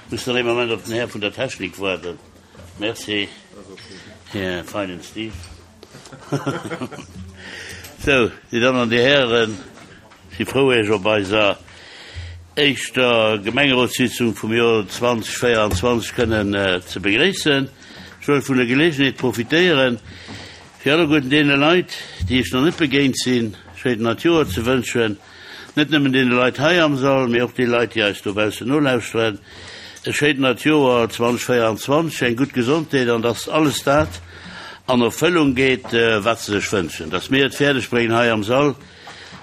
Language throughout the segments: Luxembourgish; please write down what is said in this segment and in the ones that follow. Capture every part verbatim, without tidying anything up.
Muss nach ee Moment op den Här vun der Technik waarden. Merci, Här feinen Steve. Sou, Dir Dammen an Dir Hären, ech si frou, Iech op eiser éischter Gemengerotssitzung vum Joer zwanzeg véieranzwanzeg kënnen ze begréissen. Ech wëll vun der Geleegenheet profitéieren, fir alleguerten deene Leit, déi ech nach net begéint sinn, schéint neit Joer ze wënschen. Net nëmmen deene Leit hei am Sall, mee och déi Leit, déi eis dobaussen nolauschteren. E schéint neit Joer zwanzeg véieranzwanzeg, eng gutt Gesondheet an dass alles dat an Erfëllung geet, wat se sech wënschen. Dass mir et fäerdeg bréngen, hei am Sall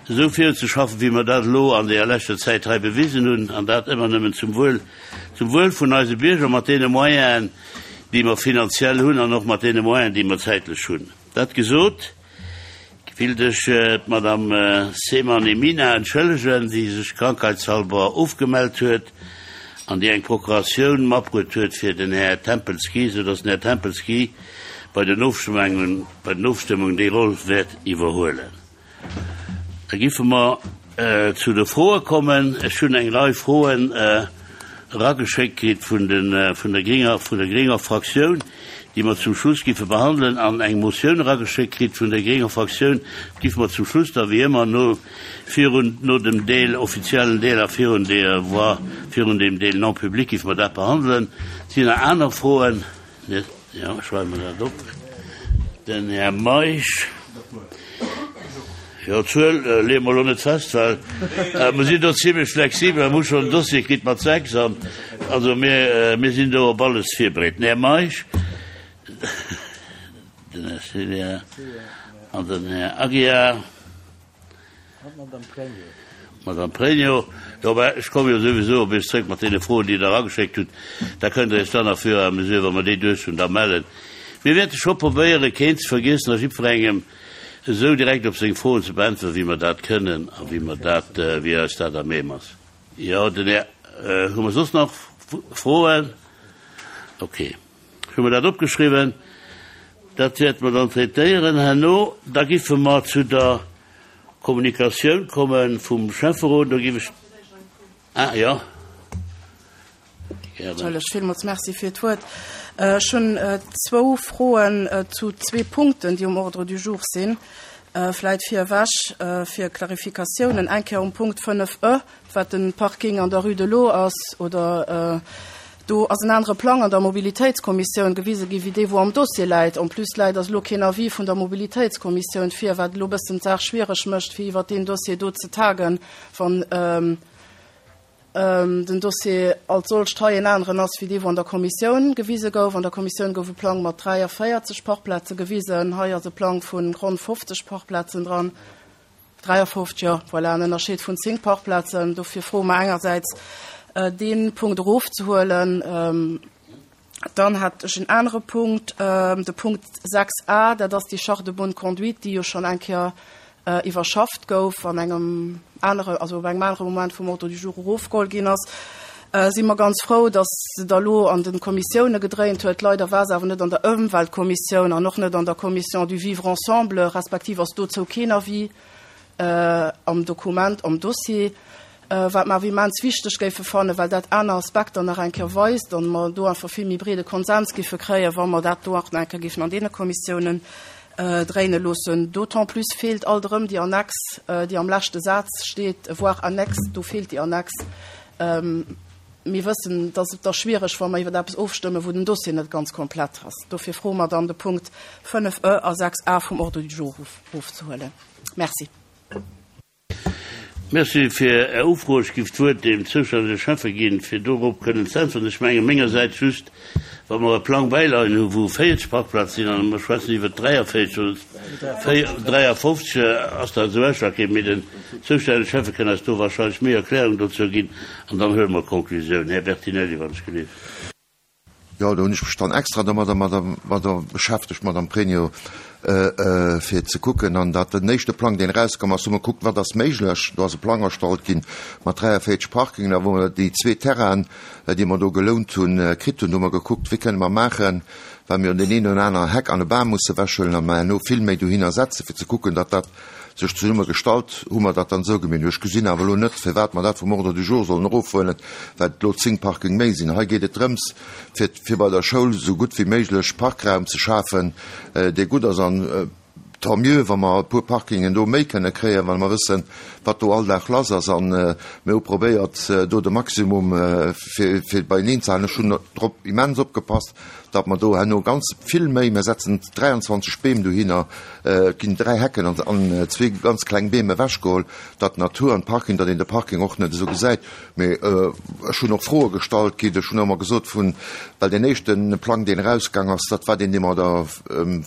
esou viruzeschaffen, wéi mer dat elo an deeër leschter Zäit hei bewisen hunn, an dat ëmmer nëmmen zum Wuel, zum Wuel vun eise Bierger, mat deene Moyenen, déi mer finanziell hunn an och mat deene Moyenen, déi mer zäitlech hunn. Dat gesot, willt ech d'Madame Seemann Emina entschëllegen, déi sech krankheitshalber ofgemellt huet an déi eng Procuratioun matbruet huet fir den Här Tempelsky, soudass den Här Tempelsky bei den Ofstëmmungen, bei den Ofstëmmungen déi Roll wäert iwwerhuelen. Da giffe mer zu de Froe kommen. Ech hunn eng Rei Froen erageschéckt kritt vun de, vun der grénger, vun der grénger Fraktioun, déi mer zum Schluss giffe behandelen, an eng Motioun erageschéckt kritt vun der grénger Fraktioun, giffe mer zum Schluss da wéi ëmmer no, virun, no dem Deel, offiziellen Deel a virun der Voix, virun dem Deel non public giffe mer dat behandelen. Sinn nach aner Froen? Net? Jo, ech schreiwe mer dat op. Den Här Meisch. Jo, d'Zuel leeë mer elo net fest, well mer sinn do zimlech flexibel. Mer hu schonn en Dossier kritt mat sechs an also mir, mir sinn do op alles virbereet. Den Här Meisch, den Här Célia an den Här Aguiar. D'Madame Pregno. Jo, mä ech komme jo souwisou op Iech zrëck mat deene Froen, déi Der erageschéckt hutt. Da kënnt Der Iech dann à fur et à mesure, wa mer déi duerch hunn, da mellen. Mir wäerte scho probéieren, keen ze vergiessen a jiddwerengem esou direkt op seng Froen ze beäntweren, wéi mer dat kënnen a wéi mer dat, wéi eis dat à même ass. Jo, den Här, hu mer soss nach Froen? Okay, ech hu mer dat opgeschriwwen. Dat wäerte mer dann traitéieren herno. Da giffe mer zu der Kommunikatioun komme vum Schäfferot. Do giff ech, ah jo, gären. Entschëllegt, villmools Merci fir d'Wuert. Ech hunn zwou Froen zu zwee Punkten, déi um Ordre du jour sinn. Vläit virewech fir Klarifikatiounen. Eng Kéier um Punkt fënnef e, wat de Parking an der Rue de l'Eau ass, oder do ass en anere Plang an der Mobilitéitskommissioun gewise gi wéi dee wou am Dossier läit. En plus läit ass elo keen Avis vun der Mobilitéitskommissioun vir, wat elo e bëssen d'Saach schwiereg mécht, fir iwwert deen Dossier do ze tagen, wann den Dossier als solcht hei en aneren ass wéi dee wou an der Kommissioun gewise gouf. An der Kommissioun gouf e Plang mat dräiavéierzeg Parkplaze gewisen. Hei ass e Plang vu ronn fofzeg Parkplazen dran. dräiafofzeg, jo, voilà, en Ënnerscheed vun zéng Parkplazen. Dofir froe mer engersäits, dee Punkt erofzehuelen. Dann hat ech en anere Punkt, de Punkt sechs a, dat ass déi Charte de bonne conduite, déi jo schonn eng Kéier iwwerschafft gouf an engem anere, also op engem anere Moment vum Ordre du jour erofgeholl ginn ass. Si mer ganz frou, datt se da lo an de Kommissioune gedréint huet. Leider war se awer net an der Ëmweltkommissioun an och net an der Commission du vivre ensemble, respektiv ass dozou keen Avis am Dokument, am Dossier, wat mer awer immens wichteg géife fannen, well dat aner Aspekter nach eng Kéier weist an mer do einfach vill méi breede Konsens géife kréien, wa mer dat do och nach eng Kéier géifen an deene Kommissiounen dréine loossen. D'autant plus feelt alt erëm déi Annex, déi am leschte Saz steet, voir annexe, do feelt déi Annex. Mir wëssen, dass et da schwiereg, wa mer iwwer eppes ofstëmmen, wou den Dossier net ganz komplett ass. Dofir froe mer dann, de Punkt fënnef e a sechs a vum Ordre du jour erofzehuelen. Merci. Merci fir Är Ufro. Ech géif d'Wuert dem zoustännege Schäffe ginn, fir dorop kënnen ze äntweren. Ech menge mengersäits just, wa mer e Plang bäileien hu wou véierzeg Parkplaze sinn an mer schwätzen iwwer dräiavéierzeg oder dräiafofzeg, ass dat esou ausschlaggebend. Mee den zoustännege Schäffe kënn eis do wahrscheinlech méi Erklärung dozou ginn an dann huele mer d'Konklusioun. Här Bertinelli, wann ech gelift. Jo, do hunn ech mech dann extra domadder, madder beschäftegt, Madame Pregno, fir ze kucken. An dat den éischte Plang, deen erauskomm ass, hu mer gekuckt, wat ass méiglech. Do ass e Plang erstallt ginn mat dräiavéierzeg Parkingen, a wou mer déi zwee Terrainen, déi mer do gelount hunn, kritt hunn, hu mer gekuckt, wéi kënne mer maachen, well mir jo deen een oder anere Heck an e Bam musse wechhuelen a mer herno vill méi dohinner setzen, fir ze kucken, datt dat sech zesumme gestallt, hu mer dat dann esou gemaach. Ech gesinn awer elo net, firwat mer dat vum Ordre du jour sollen erofhuelen, well et elo zéng Parking méi sinn. Hei geet et drëms, fir, fir bei der Schoul esou gutt wéi méiglech Parkraum ze schafen, dee gutt ass. An tant mieux, wa mer e puer Parkingen do méi kënne kréien, well mer wëssen, wat do all Dag lass ass. An mir hu probéiert, do de Maximum fir, fir beieneen ze halen. Ech hunn drop immens opgepasst, datt mer do herno ganz vill méi, mir setzen dräianzwanzeg Beem dohinner, et ginn dräi Hecken an, an zwee ganz kleng Beem ewechgeholl, datt d'Natur an d'Parking, datt een de Parking och net esou gesäit. Mee ech hunn och Froe gestallt kritt, ech hunn ëmmer gesot vun, well deen éischte Plang, deen erausgaang ass, dat war deen, dee mer der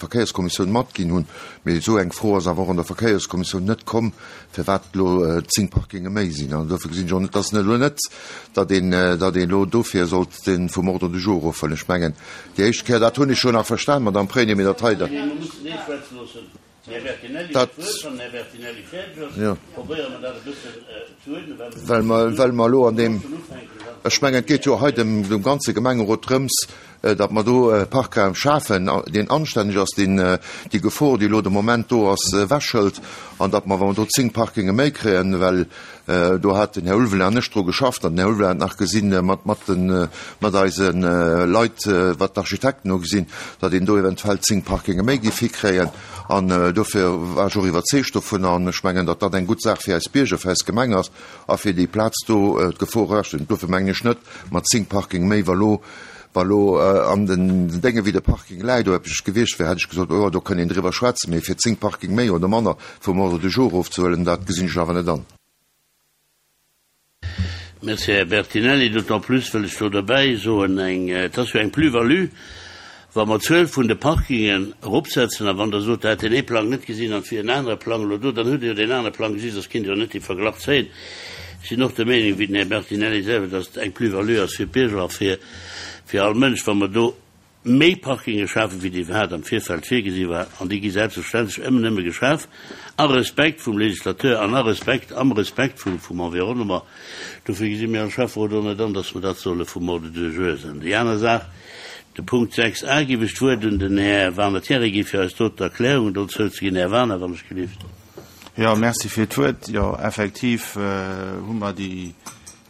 Verkéierskommissioun matginn hunn. Mee esou eng Fro ass awer och an der Verkéierskommissioun net komm, firwat elo zéng Parkinge méi sinn. An dofir gesinn ech och net, dass elo net, datt een, datt een elo dofir sollt dee vum Ordre du jour erofhuelen. Ech mengen, déi éischt Kéier, dat hunn ech jo nach verstan, Madame Pregno, mee dat hei, dat, dat, jo, well mer, well mer elo an deem, ech mengen, et geet jo hei dem, dem ganze Gemengerot drëms, datt mer do e Parkraum schafen, deen anstänneg ass, deen déi Gefor, déi elo de Moment do ass, ewechhëlt, an datt mer, wa mer do zéng Parkinge méi kréien, well do hat den Här Ulveling an ech dru geschafft, an den Här Ulveling hat nach gesinn, mat, mat den, mat eise Leit, wat d'Architekten hu gesinn, datt een do eventuell zéng Parkinge méi géif hikréien. An dofir war ech och iwwerzeegt dovun, an ech mengen, datt dat eng gutt Saach fir eis Bierger, fir eis Gemeng ass a fir déi Plaz do d'Gefor ewechzehëllen. Dofir mengen ech net, mat zéng Parking méi, wa lo, Wa lo an den Dénge wéi de Parking läit do eppes gewiescht wär, hätt ech gesot, oh jo, do kënnt een driwwer schwätzen. Mee fir zéng Parking méi oder manner vum Ordre du jour erofzehuelen, dat gesinn ech awer net an. Merci, Här Bertinelli. D'autant plus wëll ech do derbäi soen, eng, et ass jo eng Plus-value, wa mer d'Zuel vun de Parkingen eropsetzen. A wann Der sot, Der hätt deen ee Plang net gesinn an et wier en anere Plang elo do, dann hutt Der jo deen anere Plang gesi, soss kinnt Der jo net dee Verglach zéien. Ech sinn och der Meenung wéi den Här Bertinelli selwer, dass et eng Plus-value ass fir d'Bierger a fir, fir all Mënsch, wa mer do méi Parkinge schafen, wéi iwwerhaapt am Virfeld virgesi war. An déi gi selbstverständlech ëmmer nëmme geschaf a Respekt vum Législateur an a Respekt, am Respekt vum, vum Environnement. Dofir gesi mir als Schäfferot och net an, dass mer dat solle vum Ordre du jour setzen. Déi aner Saach, de Punkt sechs a, géif ech d'Wuert un den Här Werner Thierry gi fir eis do d'Erklärung dozou ze ginn. Här Werner, wann ech gelift. Jo, merci fir d'Wuert. Jo, effektiv hu mer déi,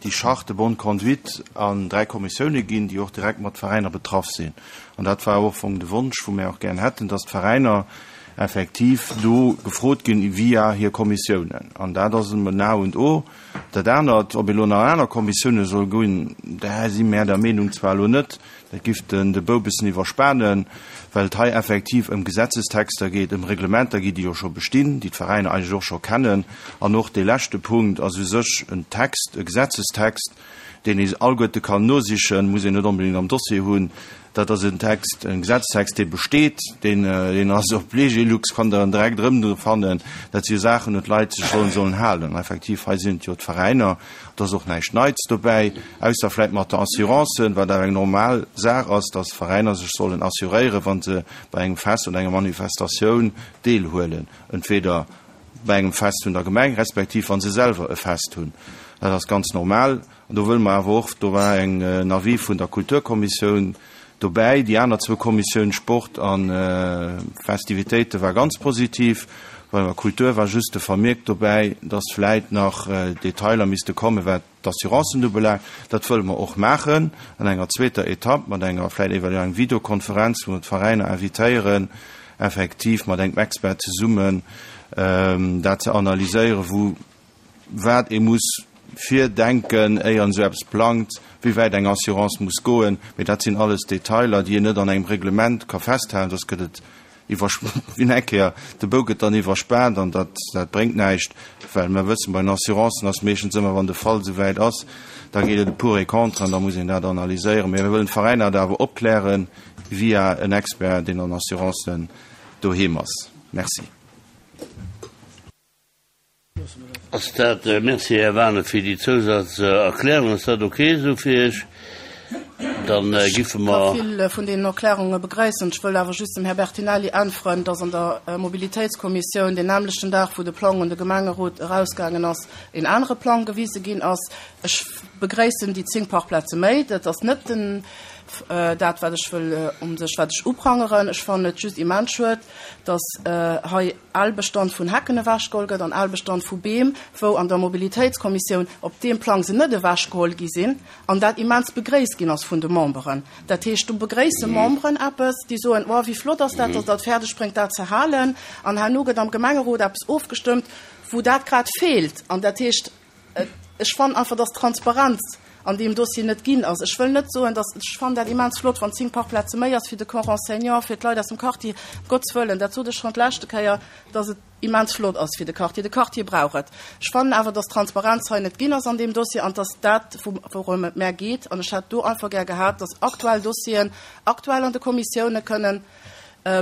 déi Charte de bonne conduite an dräi Kommissioune ginn, déi och direkt mat Veräiner betraff sinn. An dat war och am Fong de Wonsch, wou mir och gären hätten, dass d'Veräiner effektiv do gefrot ginn via hir Kommissiounen. An dat ass en A und O. Dat anert, ob ee lo nach aner Kommissioune soll ginn, da si mär der Meenung zwar elo net, dat giff den de Bou bëssen iwwerspanen, well et hei effektiv ëm Gesetzestexter geet, ëm Reglementer geet, déi jo scho bestinn, déi d'Veräiner eigentlech och scho kennen. An och dee leschte Punkt ass u sech en Text, e Gesetzestext, deen ee alleguerte kann nosichen, muss een net onbedéngt am Dossier hunn. Dat ass en Text, en Gesetztext, dee besteet, deen, deen ass op Legilux, kann Der en direkt erëmfannen. Dat si jo Saachen, un d'Leit sech sollen, sollen halen. An effektiv, hei sinn et jo d'Veräiner, et ass och näischt Neits dobäi, ausser vläicht mat der Assurance, wat awer eng normal Saach ass, dass d'Veräiner sech sollen assuréieren, wa se bei engem Fest oder enger Manifestatioun deelhuelen, entweder bei engem Fest vun der Gemeng, respektiv wa se selwer e Fest hunn. Dat ass ganz normal. An do wëlle mer awer och, do war eng, en Avis vun der Kulturkommissioun dobäi, déi aner zwou Kommissioun, Sport a Festivitéite, war ganz positiv. Bei der Kultur war just de Vermierk dobäi, dass vläit nach Detailer misste kommen, wat d'Assurancen ubelaangt. Dat wëlle mer och maachen an enger zweeter Etapp mat enger vläit eventuell eng Videokonferenz, wou mer d'Veräiner invitéieren, effektiv mat engem Expert zesummen dat ze analyséieren, wou wat ee muss virdenken, éier en esou eppes plangt, wéi wäit eng Assurance muss goen. Mee dat sinn alles Detailer, déi een net an engem Reglement ka festhalen, soss gëtt et iwwer, wéi eng Kéier, de Bou gëtt dann iwwerspaant an dat, dat bréngt näischt, well mer wëssen, bei den Assurancen ass meeschtens ëmmer, wann de Fall esou wäit ass, da geet et pour et contre an da muss een dat analyséieren. Mee mir wëllen d'Veräiner dat awer opklären via en Expert, deen an Assurancen doheem ass. Merci. Ass dat, Merci, Här Waner, fir déi Zousazerklärung. Ass dat okay esou fir Iech? Dann giffe Ech mer. ka vill vun deenen Erklärunge begréissen. Ech wëll awer just dem Här Bertinelli äntweren, dass an der Mobilitéitskommissioun deen nämlechten Dag, wou de Plang un de Gemengerot erausgaangen ass, en anere Plang gewise ginn ass. Ech begréissen déi zéng Parkplaze méi. Dat ass net den dat wat ech wëll um sech wat ech uprangeren. Ech fannen et just immens schued, dass hei al Bestand vun Hecken ewechgeholl gëtt an al Bestand vu Beem, wou an der Mobilitéitskommissioun op deem Plang se net ewechgeholl gi sinn an dat immens begréisst ginn ass vun de Memberen. Dat heescht, do begréisse Memberen eppes, déi soen, oh wéi flott ass dat, dass Der et fäerdeg bréngt dat ze halen, an herno gëtt am Gemengerot eppes ofgestëmmt, wou dat grad feelt. An dat heescht, ech fannen einfach, dass d'Transparenz an deem Dossier net ginn ass. Ech wëll net soen, dass, ech fannen dat immens flott, wann zéng Parkplaze méi ass fir de Corps enseignant, fir d'Leit aus dem Quartier, ëm Gottes Wëllen, dat sot ech schonn d'leschte Kéier, dass et immens flott ass fir de Quartier. De Quartier brauch et. Ech fannen awer, dass d'Transparenz hei net ginn ass an deem Dossier an dass dat, wourëm et mär geet, an ech hätt do einfach gär gehat, dass aktuell Dossieren aktuell an de Kommissioune kënnen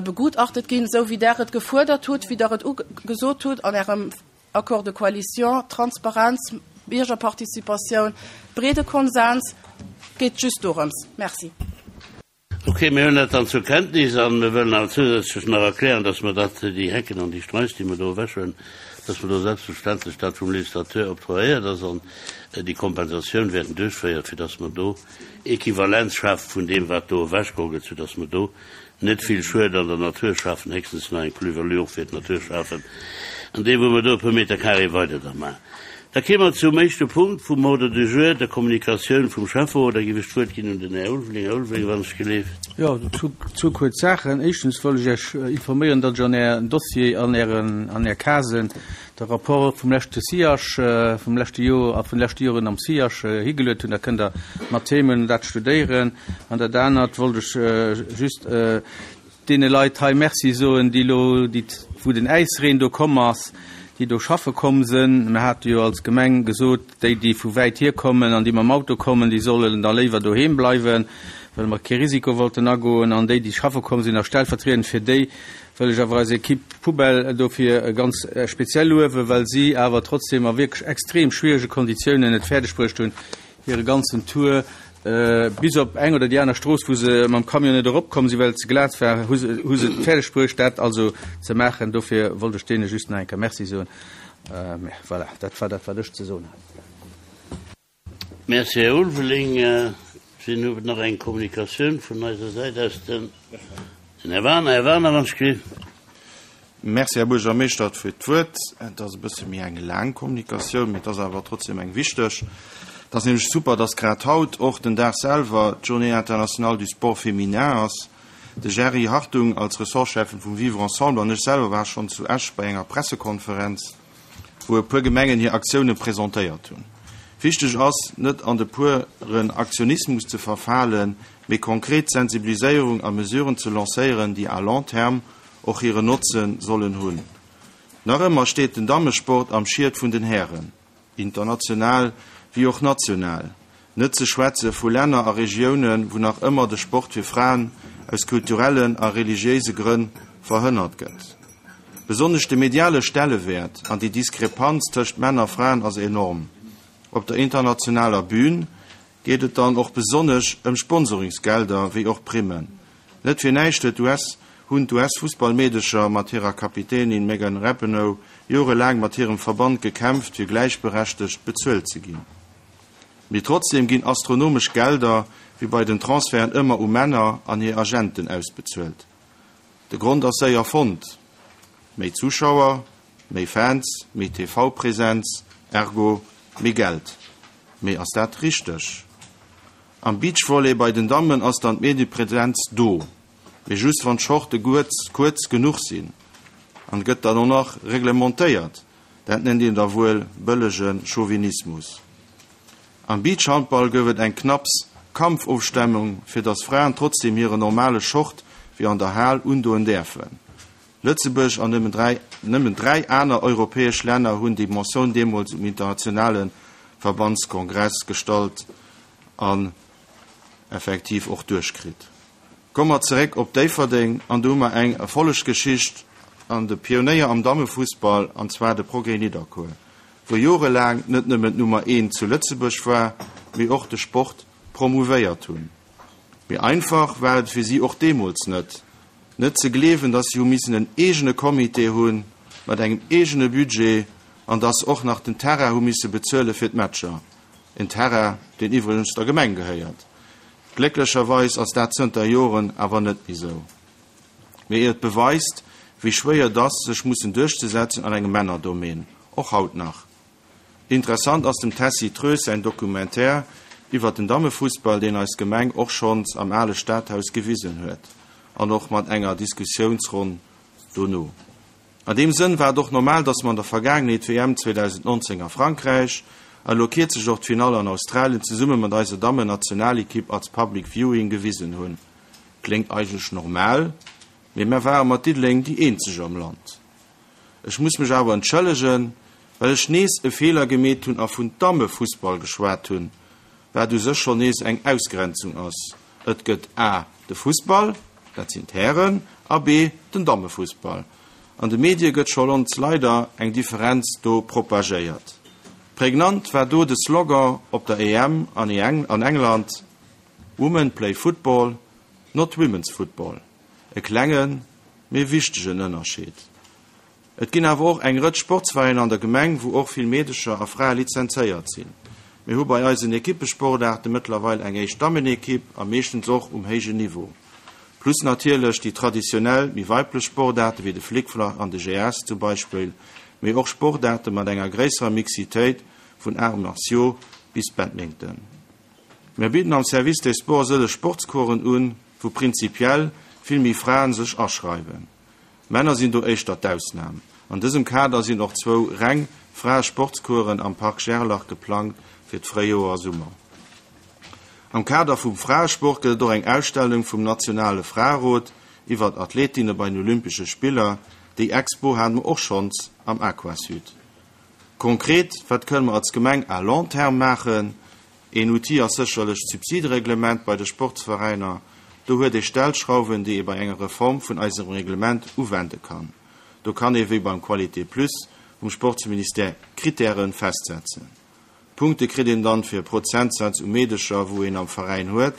begutachtet ginn, esou wéi Der et gefuerdert hutt, wéi Der et gesot hutt an Ärem Accord de coalition, Transparenz, Biergerparticipatioun, breede Konsens, geet just dorëms. Merci. Ok, mir hunn dat dann zur Kenntnis a mir wëllen awer zousätzlech nach erklären, dass mer dat, déi Hecken an déi Straiss, déi mer do ewechhuelen, dass mer do selbstverständlech dat vum Législateur octroyéiert ass an déi Kompensatioun wäerten duerchféieren, fir dass mer do Equivalenz schafe vun deem, wat do ewechgeholl gëtt, soudass mer do net vill Schued an der Natur schafen, héchstens nach eng Plus-value och fir d'Natur schafen, an deem wou mer do e puer Meter carré weider da maachen. Da kéime mer zum éischte Punkt vum Ordre du jour, der Kommunikatioun vum Schäfferot. Da géif ech d'Wuert ginn un den Här Ulveling. Här Ulveling, wann ech geleeft. Jo, zwou kuerz Saachen. Éischtens wëll ech Iech informéieren, datt ech an Är Dossier, an Ären, an Är Casen de Rapport vum leschte SIAG, vum leschte Joer a vun de leschte Joren am SIAG higeluet hunn. Da kënnt Der mat Themen dat studéieren. An dat anert wollt ech just deene Leit hei Merci soen, déi elo, déi, wou den Äisreen do komm ass, déi do schaffe komm sënn. Mir hate jo als Gemeng gesot, déi, déi vu wäit hierkommen an déi mam Auto kommen, déi sollen da léiwer doheem bleiwen, well mer kee Risiko wollten agoen. An déi, déi schaffe komm sinn, a stellvertriedend fir déi, wëll ech awer eis Equipe Poubelle dofir ganz speziell luewen, well si awer trotzdem a wierklech extrem schwierege Konditiounen et fäerdeg bruecht hunn, hire ganzen Tour bis op eng oder déi aner Strooss, wou se mam Camion net eropkomm sinn, well et ze glat war, hu se hu se et fäerdeg bruecht, dat also ze maachen. Dofir wollt ech deene just nach eng Kéier Merci soen. Voilà, dat war dat, wat ech ze soen hat. Merci, Här Ulveling. Sinn huet nach eng Kommunikatioun vun eiser Säit aus. Den Här Werner. Här Werner, wann ech kritt. Merci, Här Buergermeeschter, fir d'Wuert. Et ass e bësse méi eng laang Kommunikatioun, mee et ass awer trotzdem eng wichteg. Et ass nämlech super, dass grad haut, och den Dag selwer, d'Journée internationale du sport féminin ass. De Jerry Hartung als Ressortschäffen vum Vivre ensemble an ech selwer war schonn zu Esch bei enger Pressekonferenz, wou e puer Gemengen hir Aktioune presentéiert hunn. Wichteg ass, net an de pueren Aktionismus ze verfalen, mee konkret Sensibiliséierung a Mesuren ze lancéieren, déi à long terme och hire Notze sollen hunn. Nach ëmmer steet den Dammesport am Schiet vun den Hären, international wéi och national. Net ze schwätze vu Länner a Regiounen, wou nach ëmmer de Sport fir Fraen aus kulturellen a religiéise Grënn verhënnert gëtt. Besonnesch de mediale Stellewäert an déi Diskrepanz tëscht Männer a Fraen ass enorm. Op der internationaler Bühn geet et dann och besonnesch ëm Sponsoringsgelder wéi och Primmen. Net fir näischt huet d'US hunn d'US-Fussballmeedecher mat hirer Kapitänin Megan Rapinoe jorelaang mat hirem Verband gekämpft, fir gläichberechtegt bezuelt ze ginn. Mee trotzdeem ginn astronomesch Gelder, wéi bei den Transferten ëmmer, u Männer an hir Agenten ausbezuelt. De Grond ass séier fonnt, méi Zuschauer, méi Fans, méi T V-Präsenz, ergo méi Geld. Mee ass dat richteg? Am Beachvolley bei den Dammen ass dann d'Mediepresenz do, mee just wann d'Shorte kuerz genuch sinn. An gëtt dann och nach reglementéiert. Dat nennt een da wuel bëllege Chauvinismus. Am Beachhandball gouf et eng knapps Kampfofstemmung, fir datt Fraen trotzdeem hiren normale Short wéi an der Hal undoen däerfen. Lëtzebuerg an nëmmen dräi nëmmen dräi aner europäesch Länner hunn déi Motioun deemools um internationale Verbandskongress gestallt an effektiv och duerchkritt. Komme mer zeréck op Déifferdeng an do hu mer eng Erfollegsgeschicht an de Pionéier am Dammefussball, an zwar de Progrès Nidderkuer, wou jorelaang net nëmmen d'Nummer eent zu Lëtzebuerg war, mee och de Sport promouvéiert hunn. Mee einfach war et fir si och deemools net. Net ze gleewen, dass si hu missen en eegene Comité hunn, mat engem eegene Budget, an dass se och nach den Terrain hu misse bezuele fir d'Matcher. En Terrain, deen iwwregens der Gemeng gehéiert. Glécklecherweis ass dat zënter Joren awer net méi sou. Mee et beweist, wéi schwéier et ass, sech mussen duerchzesetzen an engem Männerdomaine, och haut nach. Interessant ass dem Tessy Troes säin Documentaire iwwer den Dammefussball, deen eis Gemeng och schonns am ale Stadhaus gewisen huet, an och mat enger Diskussiounsronn dono. An deem Sënn war et och normal, dass mer an der Vergaangenheet d'W M zweedausendnonzéng a Frankräich a elo kierzlech och d'Finall an Australien zesumme mat eiser Dammennationalekipp als Public Viewing gewisen hunn. Kléngt eigentlech normal, mee mer ware mat Diddeleng déi eenzeg am Land. Ech muss mech awer entschëllegen, well ech nees e Feeler gemeet hunn a vun Dammefussball geschwat hunn, wat u sech schonn nees eng Ausgrenzung ass. Et gëtt a de Fussball, dat sinn d'Hären, a b den Dammefussball. An de Medie gëtt scho lons leider eng Differenz do propagéiert. Prägnant war do de Slogan op der E M an an England, Women play football, not women's football. E klengen, mee wichtegen Ënnerscheed. Et ginn awer och eng Rëtsch Sportsveräiner an der Gemeng, wou och vill Meedecher a Frae lizenzéiert sinn. Mir hu bei eisen Ekippesportaarte mëttlerweil eng éischt Dammenekipp a meeschtens och um héijen Niveau. Plus natierlech déi traditionell méi weiblech Sportaarte wéi de Flickflack an de G S zum Beispill, mee och Sportaarte mat enger gréisserer Mixitéit vun Arts martiaux bis Badminton. Mir bidden am Service des Sports sëlleg Sportscoursen un, wou prinzipiell vill méi Fraen sech aschreiwen. Männer sinn do éischter d'Ausnam. An dësem Kader sinn och zwou reng Fraesportscoursen am Park Gerlach geplangt fir d'Fréijoer a Summer. Am Kader vum Fraesport gëtt et och eng Ausstellung vum Nationale Fraerot iwwer Athletinne bei den Olympesche Spiller. Déi Expo haten mer och schonns am Aquasud. Konkret, wat kënne mer als Gemeng à long terme maachen? Een Outil ass sécherlech d'Subsidereglement bei de Sportsveräiner. Do huet ee Stellschrauwen, déi ee bei enger Reform vun eisem Reglement uwende kann. Do kann ee wéi beim Qualité Plus vum Sportsministère Kritären festsetzen. Punkte kritt een dann fir Prozentsatz u Meedecher, wou een am Veräin huet,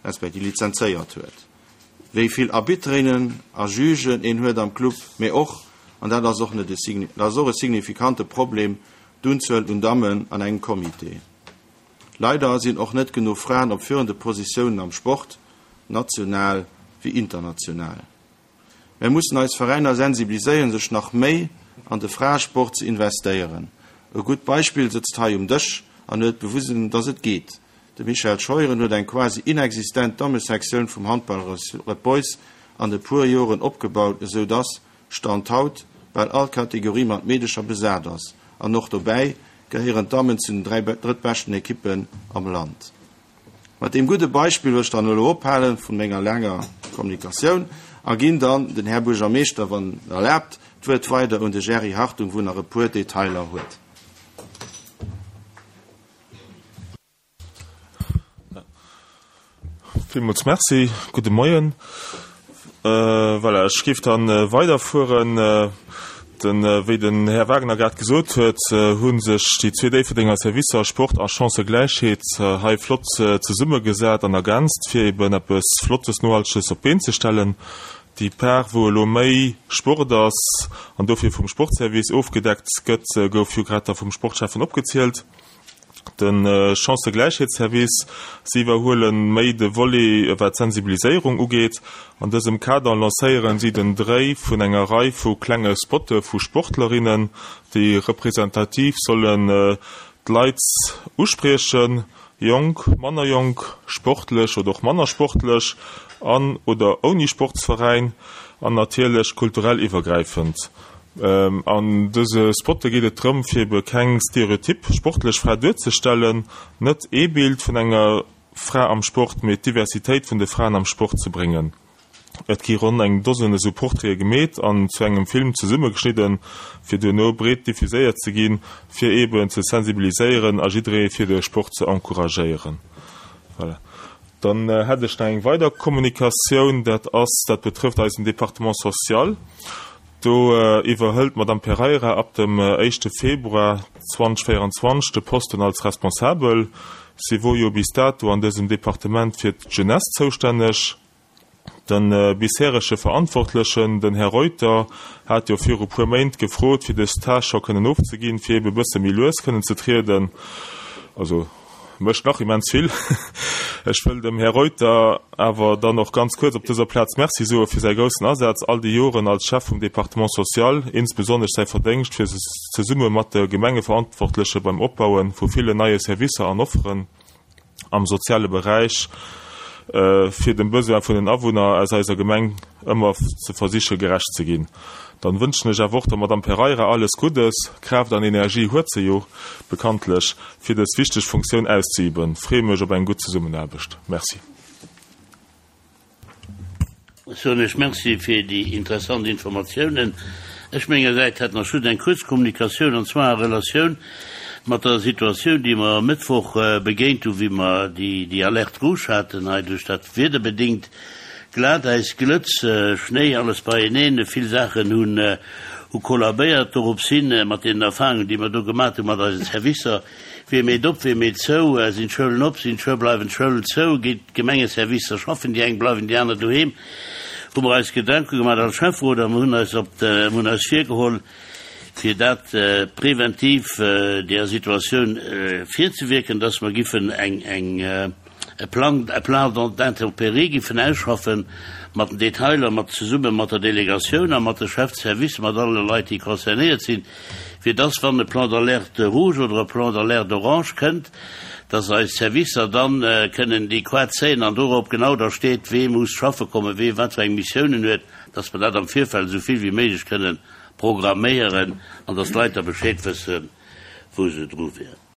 respektiv lizenzéiert huet. Wéi vill Arbiterinnen a Jugen een huet am Club, mee och, an dat ass och net e signi-, dat ass och e signifikante Problem, d'Unzuel un Dammen an engem Comité. Leider sinn och net genuch Fraen op führende Positiounen am Sport, national wéi international. Mir mussen eis Veräiner sensibiliséieren, sech nach méi an de Fraesport ze investéieren. E gutt Beispill sëtzt hei um Dësch an huet bewisen, dass et geet. De Michael Scheuren huet eng quasi inexistent Dammesektioun vum Handball Red Boys an e puer Joren opgebaut, esou dass Stand haut bal all Kategorie mat Meedecher besat ass. An och dobäi gehéieren d'Dammen zu den dräi drëttbeschten Ekippen am Land. Mat dem gudde Beispill wëll ech dann elo ophalen vun menger langer Kommunikatioun a ginn dann den Här Buergermeeschter, wann erlaabt, d'Wuert weider un de Jerry Hartung, wou nach e puer Detailer huet. Villmools merci, gudde Moien. Äh, voilà, ech géif dann, äh, weiderfueren. Äh, den, äh, wéi den Här Wagner grad gesot huet, äh, hunn sech déi zwee Déifferdenger Servicer Sport a Chancëgläichheet, äh, hei flott, äh, zesummegesat an ergänzt, fir eben eppes Flottes, Nohalteges op d'Been ze stellen. Déi Part, wou elo méi Sport ass an dofir vum Sportservice ofgedeckt gëtt, äh, gouf jo grad da vum Sportchefen opgezielt. Den, äh, Chancëgläichheetsservice, sie iwwerhuelen méi de Volet, wat Sensibiliséierung ugeet. An dësem Kader lancéieren sie den Dréi vun enger Rei vu klenge Spotte vu Sportlerinnen, déi repräsentativ sollen, äh, d'Leit uspriechen, jonk, manner jonk, sportlech oder och manner sportlech an oder ouni Sportsveräin an natierlech kulturell iwwergräifend. Ähm, an dëse Spotte geet et drëm, fir ebe keng Stereotyp sportlech Fra duerzestellen, net ee Bild vun enger Fra am Sport, mee d'Diversitéit vun de Fraen am Sport ze bréngen. Et gi ronn eng Dosen esou Portraite gemeet an zu engem Film zesummegeschnidden, fir duerno breet diffuséiert ze ginn, fir eben ze sensibiliséieren a jidderee fir de Sport ze encouragéieren. Voilà. Dann, äh, hätt ech nach eng weider Kommunikatioun, dat ass, dat betrëfft eisen Département social. Do, äh, iwwerhëlt Madame Pereira ab dem, äh, éischte Februar zweitausendvierundzwanzig de Posten als Responsabel. Sie wor jo bis dato an dësem Departement fir d'Jeunesse zoustänneg. Den, äh, bisherige Verantwortlichen, den Herr Reuter, hat jo viru puer Méint gefrot, fir dës Tâche scho kënnen ofzeginn, fir eben e bësse méi lues kënnen ze trieden. Also mécht nach immens vill. Ech wëll dem Här Reuter awer dann och ganz kuerz op dëser Plaz Merci soe fir säi groussen Asaz all déi Joren als Chef vum Département social, insbesonnesch säi Verdéngscht fir zesumme mat de Gemengeverantwortleche beim Opbaue vu villen neie Servicer an Offeren am soziale Beräich fir dem Besoin vun den Awunner aus eiser Gemeng ëmmer ze versiche gerecht ze ginn. Dann wënschen ech awer och der Madame Pereira alles Guddes, Kraaft an Energie huet se jo bekanntlech, fir dës wichteg Funktioun auszeüben. Freeë mech op eng gutt Zesummenaarbecht. Merci. Ech soen Iech Merci fir déi interessant Informatiounen. Ech mengersäits hätt nach just eng kuerz Kommunikatioun, an zwar a Relatioun mat der Situatioun, déi mer e Mëttwoch begéint hunn, wéi mer déi Alerte rouge haten hei duerch dat wiederbedéngt Glatäis, Glëtz, Schnéi, alles beieneen. Vill Saachen hunn hu kollabéiert. Dorops hin, mat deenen Erfahrungen, déi mer do gemat hunn mat eisen Servicer, wie meet op, wie meet zou, sinn d'Schoulen op, sinn d'Schou bleiwen d'Schoulen zou, geet d'Gemengeservicer schaffen déi eng, bleiwen déi aner doheem, hu mer eis Gedanke gemaach als Schäfferot a mer hunn eis op de, hunn eis virgeholl, fir dat preventiv där Situatioun virzewierken, dass mer giffen eng, eng, e Plan, e Plan d'intempéries giffen ausschaffen, mat den Detailer, mat, zesumme mat der Delegatioun a mat de Chefs de service, mat alle Leit, déi concernéiert sinn, fir dass, wann e Plan d'alerte rouge oder e Plan d'alerte orange kënnt, dass eis Servicer dann kënnen déi Quart zéien an dorop genau da steet, wee muss schaffe kommen, wee wat fir eng Missiounen huet, dass mer dat am Virfeld esou vill wéi méiglech kënnen programméieren an dass d'Leit da Bescheed wëssen, wou se dru wieren.